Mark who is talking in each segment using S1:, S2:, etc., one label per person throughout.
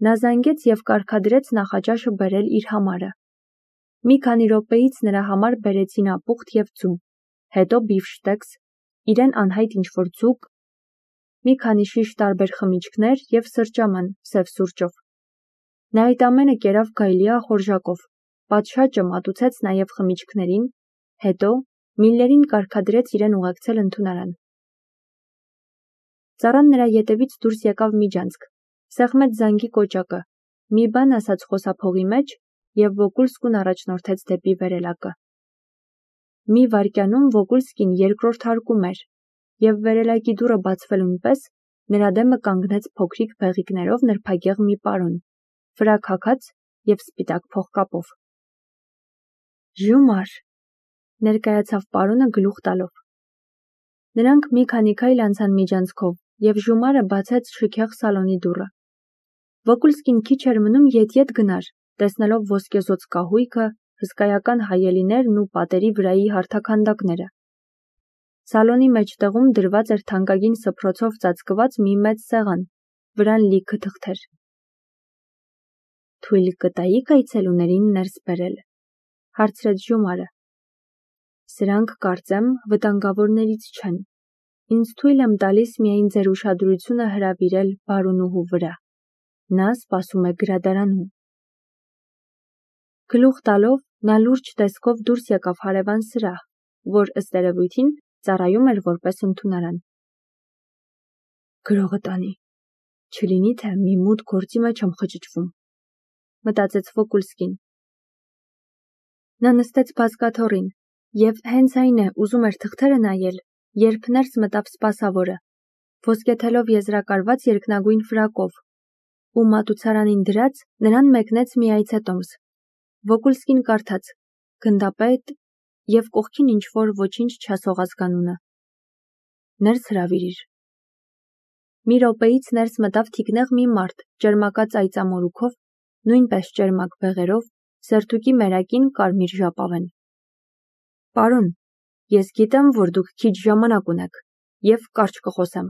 S1: Նա զանգեց և կարգադրեց նախաճաշը բերել իր համարը։ Մի քանի րոպեից նրա համար բերեցին ապուխտ և ձու, հետո բիֆշտեքս, իրեն անհայտ ինչ-որ ձուկ, մի քանի շիշ տարբեր խմիչքներ և սրճաման սև սուրճով։ Նա այդ ամենը կերավ գայլյա խորժակով, պատշաճը մատուցեց նաև խմիչքներին, հետո Միլլերին կարգադրեց իրեն ուղեկցել ընդունարան։ Ծառան նրա ետևից դուրս եկավ միջանցք, սեղմեց զանգի կոճակը, մի բան ասաց խոսափողի մեջ և Վոկուլսկուն առաջնորդեց դեպի վերելակը։ Մի վայրկյանում Վոկուլսկին երկրորդ հարկում էր, և վերելակի դուռը բացվելուն պես նրա դեմը կանգնեց փոքրիկ բեղիկներով նրբագեղ մի պարոն, ֆրակ հագած և սպիտակ փողկապով։ Ժումար, ներկայացավ պարոնը գլուխ տալով։ Նրանք մի քանի քայլ անցան միջանցքով, և Ժումարը բացեց շքեղ սալոնի դուռը։ Վոկուլսկին քիչ էր մնում ետ-ետ գնար, տեսնելով ոսկեզօծ կահույքը, հսկայական հայելիներն ու պատերի վրայի հարթաքանդակները։ Սալոնի մեջտեղում դրված էր թանկագին սփռոցով ծածկված մի մեծ սեղան, վրան լիքը թղթեր։ Թույլ կտայիք այցելուներին ներս բերել, հարցրեց Ժումարը։ Սրանք, կարծեմ, վտանգավորներից չեն։ Ինձ թույլ եմ տալիս միայն ձեր ուշադրությունը հրավիրել բարոնուհու վրա։ Նա սպասում է գրադարանում։ Գլուխ տալով նա լուրջ տեսքով դուրս եկավ հարևան սրահ, որ ըստ երևույթին ծառայում էր որպես ընդունարան։ Գրողը տանի, չլինի թե մի մութ գործի մեջ եմ խճճվում, մտածեց Վոկուլսկին։ Նա նստեց բազկաթոռին, և հենց այն է ուզում էր թղթերը նայել, երբ ներս մտավ սպասավորը, ոսկեթելով եզրակարված երկնագույն ֆրակով, ու մատուցարանին դրած նրան մեկնեց մի այցետոմս։ Վոկուլսկին կարդաց. գնդապետ և կողքին ինչ-որ ոչինչ չասող ազգանունը։ Ներս հրավիրիր։ Մի րոպեից ներս մտավ թիկնեղ մի մարդ, ճերմակած այծամորուքով, նույնպես ճերմակ բեղերով, սերթուկի մերակին կարմիր ժապավեն։ Պարոն, ես գիտեմ, որ դուք քիչ ժամանակ ունեք, և կարճ կխոսեմ,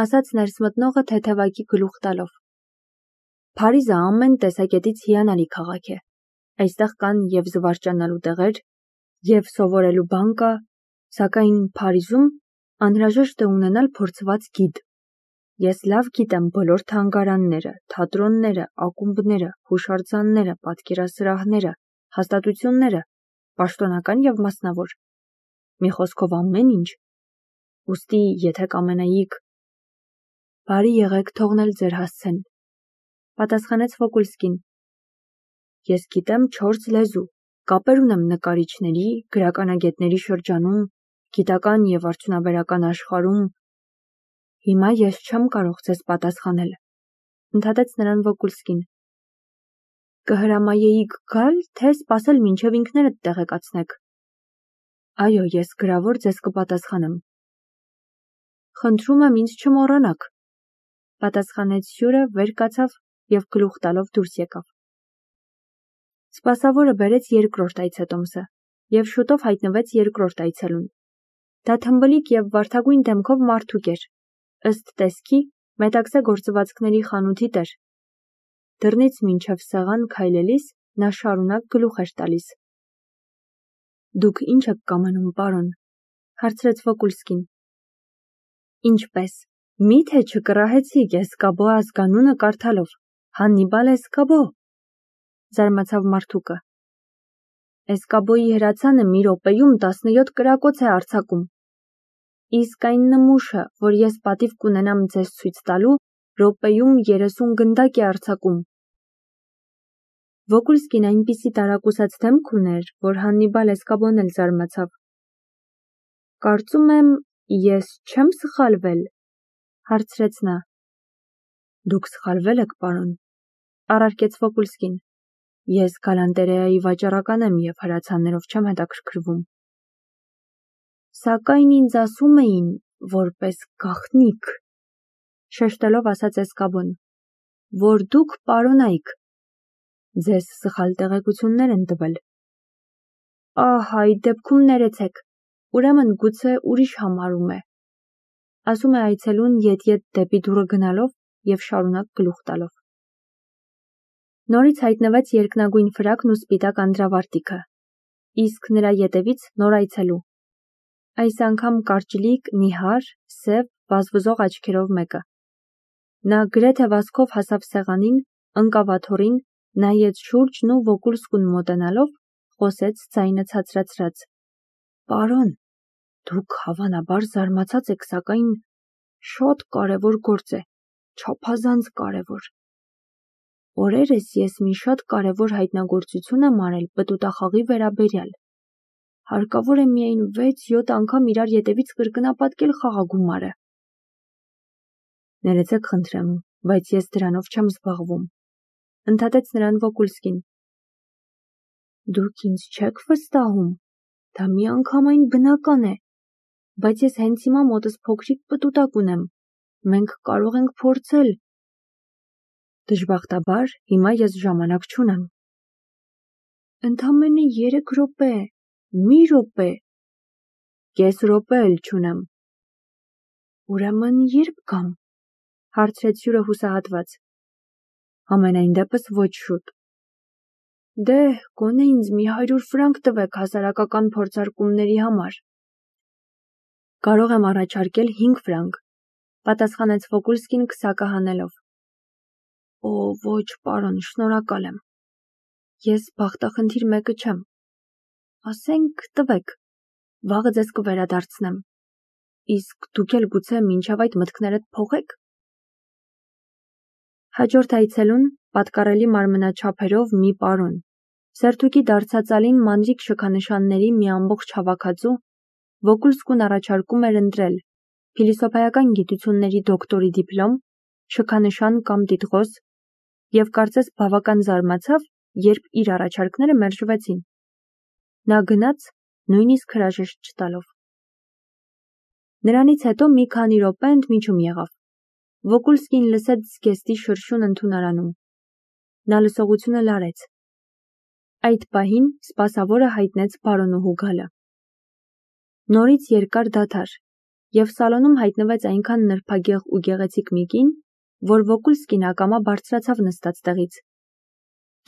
S1: ասաց ներս մտնողը թեթևակի գլուխ տալով։ Փարիզը ամեն տեսակետից հիանալի քաղաք է։ Այստեղ կան և զվարճանալու տեղեր, և սովորելու բան կա, սակայն Փարիզում անհրաժեշտ է ունենալ փորձված գիդ։ Ես լավ գիտեմ բոլոր թանգարանները, թատրոնները, ակումբները, հուշարձանները, պատկերասրահները, հաստատությունները, պաշտոնական և մասնավոր։ Մի խոսքով ամեն ինչ։ Ուստի, եթե կամենայիք… Բարի եղեք թողնել ձեր հասցեն, պատասխանեց Վոկուլսկին։ Ես գիտեմ 4 լեզու, կապեր ունեմ նկարիչների, գրականագետների շրջանում, գիտական և արդյունաբերական աշխարհում։ Հիմա ես չեմ կարող ձեզ պատասխանել, ընդհատեց նրան Վոկուլսկին։ Կհրամայեիք գալ, թե սպասել մինչև ինքներդ տեղեկացնեք։ Այո, ես գրավոր ձեզ կպատասխանեմ։ Խնդրում եմ ինձ չմոռանաք, պատասխանեց հյուրը, վեր կացավ և գլուխ տալով դուրս եկավ։ Սպասավորը բերեց երկրորդ այցետոմսը, և շուտով հայտնվեց երկրորդ այցելուն։ Դա թմբլիկ և վարդագույն դեմքով մարդուկ էր, ըստ տեսքի մետաքսե գործվածքների խանութի տեր։ Դռնից մինչև սեղան քայլելիս նա շարունակ գլուխ էր տալիս։ Դուք ինչ եք կամենում, պարոն, հարցրեց Վոկուլսկին։ Ինչպես, միթե չկռահեցիք Էսկաբո ազգանունը կարդալով, Հաննիբալ Էսկաբո, զարմացավ մարդուկը։ Էսկաբոյի հրացանը մի րոպեում 17 կրակոց է արձակում։ Իսկ այն նմուշը, որ ես պատիվ կունենամ ձեզ ցույց տալու, րոպեում 30 գնդակ է արձակում։ Վոկուլսկին այնպիսի տարակուսած դեմք ուներ, որ Հաննիբալ Էսկաբոն էլ զարմացավ։ Կարծում եմ, ես չեմ սխալվել, հարցրեց նա։ Դուք սխալվել եք, պարոն, առարկեց Վոկուլսկին։ Ես գալանտերեայի վաճառական եմ և հրացաններով չեմ հետաքրքրվում։ Սակայն ինձ ասում էին, որպես գաղտնիք, շեշտելով ասաց Էսկաբոն, որ դուք պարոնայք։ Ձեզ սխալ տեղեկություններ են տվել։ Ահ, այդ դեպքում ներեցեք, ուրեմն գուցե ուրիշ համարում է, ասում է այցելուն ետ-ետ դեպի դուռը գնալով և շարունակ գլուխ տալով։ Նորից հայտնվեց երկնագույն ֆրակն ու սպիտակ անդրավարտիքը, իսկ նրա ետևից նոր այցելու։ Այս անգամ կարճլիկ, նիհար, սև, վազվզող աչքերով մեկը։ Նա գրեթե վազքով հասավ սեղանին, ընկավ աթոռին, նայեց շուրջն ու Վոկուլսկուն մոտենալով, խոսեց ձայնը ցածրացրած. «Պարոն, դուք հավանաբար զարմացած եք, սակայն շատ կարևոր գործ է, չափազանց կարևոր։ Օրերս ես մի շատ կարևոր հայտնագործություն եմ արել պտուտախաղի վերաբերյալ։ Հարկավոր է միայն 6-7 անգամ իրար ետևից կրկնապատկել խաղագումարը»։ «Ներեցեք խնդրեմ, բայց ես դրանով չեմ զբաղվում», ընդհատեց նրան Վոկուլսկին։ «Դուք ինձ չեք վստահում, դա միանգամայն բնական է, բայց ես հենց հիմա մոտս փոքրիկ պտուտակ ունեմ, մենք կարող ենք փորձել»։ «Դժբախտաբար հիմա ես ժամանակ չունեմ»։ «Ընդամենը 3 րոպե, մի րոպե»։ «Կես րոպե էլ չունեմ»։ «Ուրեմն ե՞րբ գամ», հարցրեց հյուրը հուսահատված։ «Համենայն դեպս ոչ շուտ»։ «Դե, գոնե ինձ մի 100 ֆրանկ տվեք հասարակական փորձարկումների համար»։ «Կարող եմ առաջարկել 5 ֆրանկ», պատասխանեց Վոկուլսկին քսակը հանելով։ «Օ, ոչ, պարոն, շնորհակալ եմ։ Ես բախտախնդիր մեկը չեմ։ Ասենք տվեք, վաղը ձեզ կվերադարձնեմ։ Իսկ դուք էլ գուցե մինչև այդ մտքներդ փոխեք»։ Հաջորդ այցելուն պատկառելի մարմնաչափերով մի պարոն, սերթուկի դարձածալին մանրիկ շքանշանների մի ամբողջ հավաքածու, Վոկուլսկուն առաջարկում էր ընտրել փիլիսոփայական գիտությունների դոկտորի դիպլոմ, շքանշան կամ տիտղոս, և կարծես բավական զարմացավ, երբ իր առաջարկները մերժվեցին։ Նա գնաց, նույնիսկ հրաժեշտ չտալով։ Նրանից հետո մի քանի րոպե ընդմիջում եղավ։ Վոկուլսկին լսեց զգեստի շրշուն ընդունարանում։ Նա լսողությունը լարեց։ Այդ պահին սպասավորը հայտնեց բարոնուհու գալը։ Նորից երկար դադար, և սալոնում հայտնվեց այնքան նրբագեղ ու գեղեցիկ մի կին, որ Վոկուլսկին ակամա բարձրացավ նստած տեղից։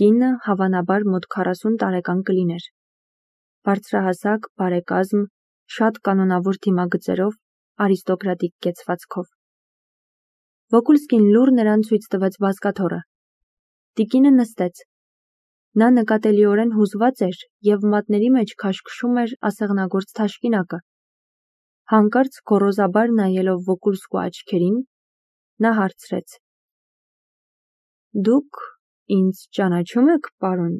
S1: Կինը հավանաբար մոտ 40 տարեկան կլիներ։ Բարձրահասակ, բարեկազմ, շատ կանոնավոր դիմագծերով, արիստոկրատիկ կեցվածքով։ Վոկուլսկին լուռ նրան ցույց տվեց բազկաթոռը։ Տիկինը նստեց։ Նա նկատելիորեն հուզված էր և մատների մեջ քաշքշում էր ասեղնագործ թաշկինակը։ Հանկարծ գոռոզաբար նայելով Վոկուլսկու աչքերին, նա հարցրեց. «Դուք ինձ ճանաչում եք, պարոն»։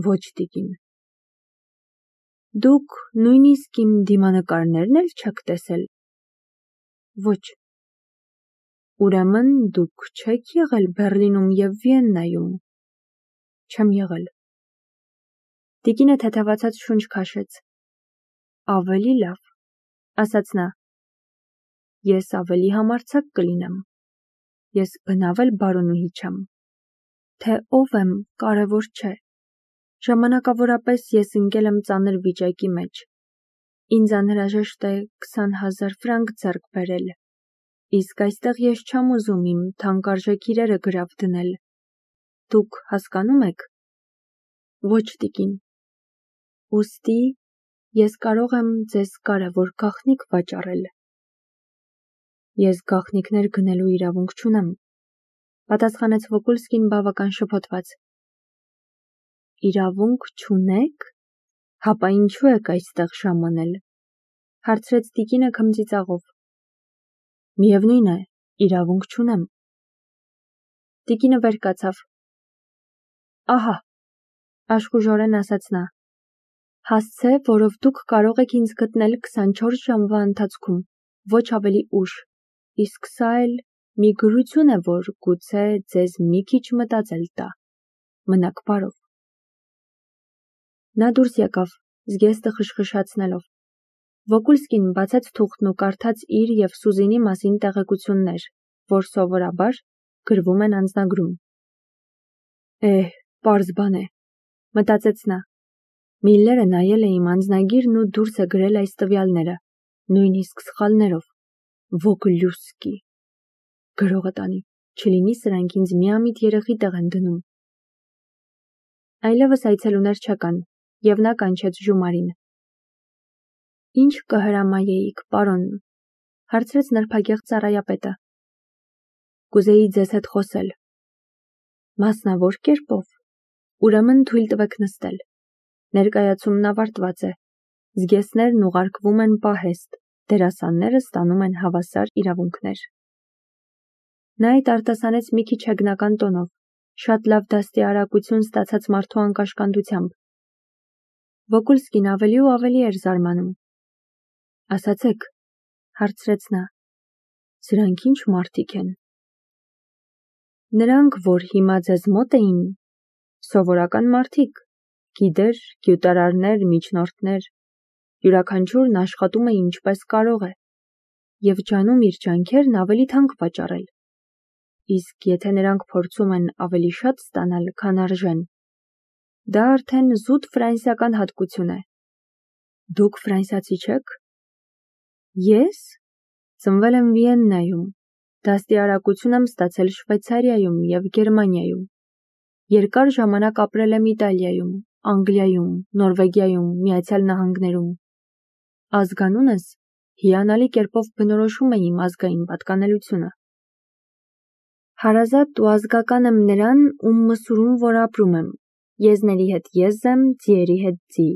S1: «Ոչ, տիկին»։ «Դուք նույնիսկ իմ դիմանկարներն էլ չեք տեսել»։ «Ոչ»։ «Ուրեմն դուք չեք եղել Բեռլինում և Վիեննայում»։ «Չեմ եղել»։ Տիկինը թեթևացած շունչ քաշեց։ «Ավելի լավ», ասաց նա։ «Ես ավելի համարձակ կլինեմ։ Ես բնավ էլ բարոնուհի չեմ։ Թե ով եմ, կարևոր չէ։ Ժամանակավորապես ես ընկել եմ ծանր վիճակի մեջ։ Ինձ անհրաժեշտ է 20,000 ֆրանկ ձեռք բերել, իսկ այստեղ ես չեմ ուզում իմ թանկարժեք իրերը գրավ դնել։ Դուք հասկանո՞ւմ եք»։ «Ոչ, տիկին»։ «Ուստի ես կարող եմ ձեզ կարևոր գաղտնիք վաճառել»։ «Ես գաղտնիքներ գնելու իրավունք չունեմ», պատասխանեց Վոկուլսկին բավական շփոթված։ «Իրավունք չունեք, հապա ինչու եք այստեղ ժամանել», հարցրեց տիկինը քմծիծաղով։ «Միևնույն է, իրավունք չունեմ»։ Տիկինը վեր կացավ։ «Ահա», աշխուժորեն ասաց նա, «հասցե, որով դուք կարող եք ինձ գտնել 24 ժամվա ընթացքում, ոչ ավելի ուշ, իսկ սա էլ մի գրություն է, որ գուցե ձեզ մի քիչ մտածել տա։ Մնաք բարով»։ Նա դուրս եկավ, զգեստը խշխշացնելով։ Վոկուլսկին բացեց թուղթն ու կարդաց իր և Սուզինի մասին տեղեկություններ, որ սովորաբար գրվում են անձնագրում։ Պարզ բան է, մտածեց նա։ Միլլերը նայել է իմ անձնագիրն ու դուրս է գրել այս տվյալները, նույնիսկ սխալներով։ Վոկլյուսկի։ Գրողը տանի, չլինի սրանք ինձ միամիտ երեխի տեղ են դնում։ Այլևս այցելուներ չկան, և նա կանչեց Ժումարին։ Ինչ կհրամայեիք, պարոն, հարցրեց նրբագեղ ծառայապետը։ Կուզեի ձեզ հետ խոսել։ Մասնավոր կերպով։ Ուրեմն թույլ տվեք նստել։ Ներկայացումն ավարտված է։ Զգեստներն ուղարկվում են պահեստ, դերասանները ստանում են հավասար իրավունքներ։ Նա այդ արտասանեց մի քիչ հեգնական տոնով, շատ լավ դաստիարակություն ստացած մարդու անկաշկանդությամբ։ Վոկուլսկին ավելի ու ավելի էր զարմանում։ Ասացեք, հարցրեց նա, սրանք ինչ մարդիկ են։ Նրանք, որ հիմա ձեզ մոտ էին, սովորական մարդիկ, գիդեր, գյուտարարներ, միջնորդներ, յուրաքանչյուրն աշխատում է ինչպես կարող է, և ջանում իր ջանքերն ավելի թանկ վաճառել։ Իսկ եթե նրանք փորձում են ավելի շատ ստանալ, քան արժեն, դա արդեն զուտ ֆրանսիական հատկություն է։ Դուք ֆրանսիացի չեք։ Ես ծնվել եմ Վիեննայում, դաստիարակություն եմ ստացել Շվեյցարիայում և Գերմանիայում։ Երկար ժամանակ ապրել եմ Իտալիայում, Անգլիայում, Նորվեգիայում, Միացյալ Նահանգներում։ Ազգանունս հիանալի կերպով բնորոշում է իմ ազգային պատկանելությունը։ Հարազատ ու ազգական եմ նրան, ում մսուրում որ ապրում եմ, եզների հետ եզ եմ, ձիերի հետ ձի։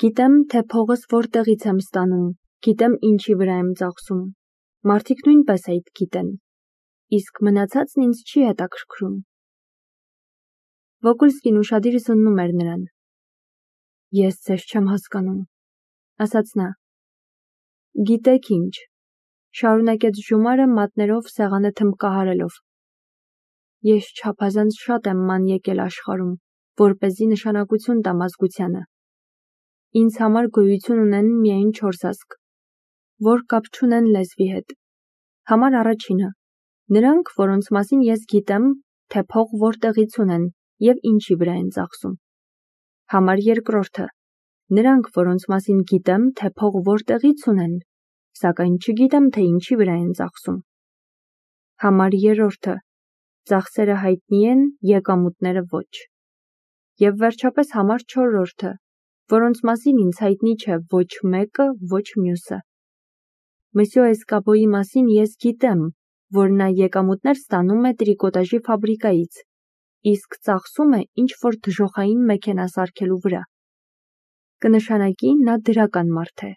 S1: Գիտեմ, թե փողս որտեղից եմ ստանում, գիտեմ ինչի վրա եմ ծախսում։ Մարդիկ նույնպես այդ գիտեն, իսկ մնացածն ինձ չի հետաքրքրում։ Վոկուլսկին ուշադիր զննում էր նրան։ Ես ձեզ չեմ հասկանում, ասաց նա։ Գիտեք ինչ, շարունակեց Ժումարը մատներով սեղանը թմբկահարելով։ Ես չափազանց շատ եմ ման եկել աշխարհում, որպեսզի նշանակություն տամ ազգությանը։ Ինձ համար գոյություն ունեն միայն 4 ազգ, որ կապ չունեն լեզվի հետ։ Համար առաջինը, նրանք, որոնց մասին ես գիտեմ, թե փող որտեղից ունեն և ինչի վրա են ծախսում։ Համար երկրորդը, նրանք, որոնց մասին գիտեմ, թե փող որտեղից ունեն, սակայն չգիտեմ, թե ինչի վրա են ծախսում։ Համար երրորդը, ծախսերը հայտնի են, եկամուտները ոչ։ Եվ վերջապես համար չորրորդը, որոնց մասին ինձ հայտնի չէ ոչ մեկը, ոչ մյուսը։ Մսյո Էսկաբոյի մասին ես գիտեմ, որ նա եկամուտներ ստանում է տրիկոտաժի ֆաբրիկայից, իսկ ծախսում է ինչ-որ դժոխային մեքենա սարքելու վրա։ Կնշանակի նա դրական մարդ է։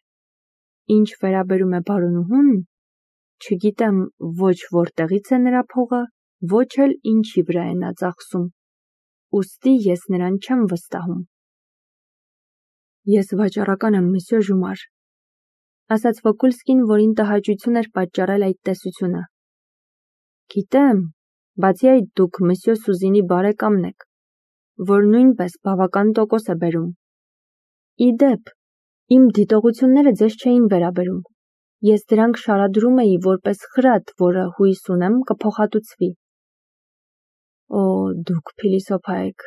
S1: Ինչ վերաբերում է բարոնուհուն, չգիտեմ ոչ որտեղից է նրա փողը, ոչ էլ ինչի վրա է նա ծախսում։ Ուստի ես նրան չեմ վստահում։ Ես վաճառական եմ, մսյո Ժումար, ասաց Վոկուլսկին, որին տհաճություն էր պատճառել այդ տեսությունը։ Գիտեմ, բացի այդ դուք մսյո Սուզինի բարեկամն եք, որ նույնպես բավական տոկոս է բերում։ Ի դեպ, իմ դիտողությունները ձեզ չէին վերաբերում։ Ես դրանք շարադրում էի որպես խրատ, որը հույս ունեմ կփոխհատուցվի։ Օ, դուք փիլիսոփա եք,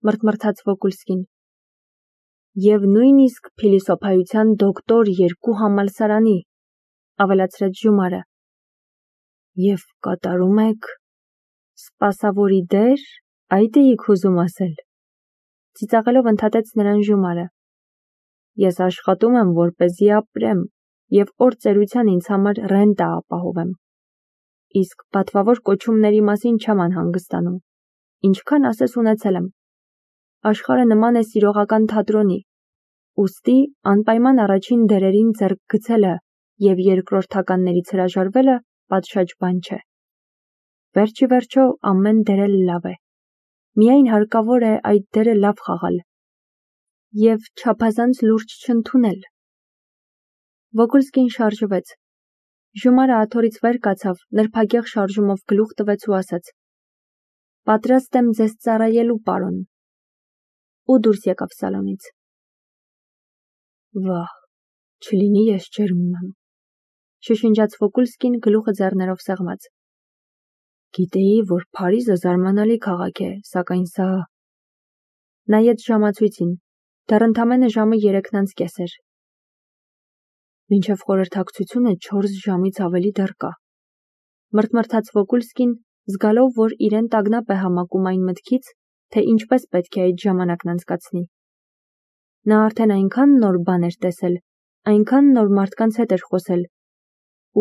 S1: մրթմրթաց Վոկուլսկին։ Եվ նույնիսկ փիլիսոփայության դոկտոր 2 համալսարանի, ավելացրեց Ժումարը։ Եվ կատարում եք սպասավորի դեր, այդ էիք ուզում ասել։ Ծիծաղելով ընդհատեց նրան Ժումարը։ Ես աշխատում եմ, որպեսզի ապրեմ, և օր ծերության ինձ համար ռենտա ապահովեմ։ Իսկ պատվավոր կոչումների մասին չեմ անհանգստանում։ Ինչքան ասես ունեցել եմ։ Աշխարհը նման է սիրողական թատրոնի, ուստի անպայման առաջին դերերին ձեռք գցելը և երկրորդականներից հրաժարվելը պատշաճ բան չէ։ Վերջի վերջո ամեն դեր էլ լավ է։ Միայն հարկավոր է այդ դերը լավ խաղալ և չափազանց լուրջ չընդունել։ Վոկուլսկին շարժվեց։ Ժումարը աթոռից վեր կացավ, նրբագեղ շարժումով գլուխ տվեց ու ասաց. Պատրաստ եմ ձեզ ծառայելու, պարոն։ Ու դուրս եկավ սալոնից։ Վահ, չլինի ես ջերմում եմ, շշնջաց Վոկուլսկին գլուխը ձեռներով սեղմած։ Գիտեի, որ Փարիզը զարմանալի քաղաք է, սակայն սա… Նայեց ժամացույցին, դեռ ընդամենը ժամը 3:30 էր։ Մինչև խորհրդակցությունը 4 ժամից ավելի դեռ կա։ Մրթմրթաց Վոկուլսկին, զգալով, որ իրեն տագնապ է համակում այն մտքից, թե ինչպես պետք է այդ ժամանակն անցկացնի։ Նա արդեն այնքան նոր բան էր տեսել, այնքան նոր մարդկանց հետ էր խոսել,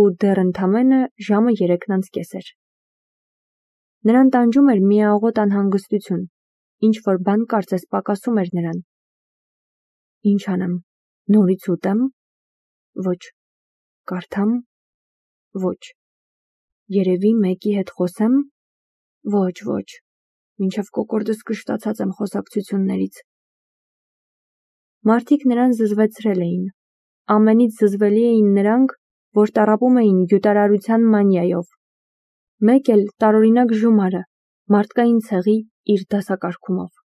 S1: ու դեռ ընդամենը ժամը 3:30 էր։ Նրան տանջում էր միաղոտ անհանգստություն, ինչ-որ բան կարծես պակասում էր նրան։ Ինչ անեմ, նորից ուտեմ։ Ոչ, կարդամ։ Ոչ, երևի մեկի հետ խոսեմ։ Ոչ, մինչև կոկորդս կշտացած եմ խոսակցություններից։ Մարդիկ նրան զզվեցրել էին, ամենից զզվելի էին նրանք, որ տառապում էին գյուտարարության մանիայով, մեկ էլ տարօրինակ Ժումարը, մարդկային ցեղի իր դասակարգումով։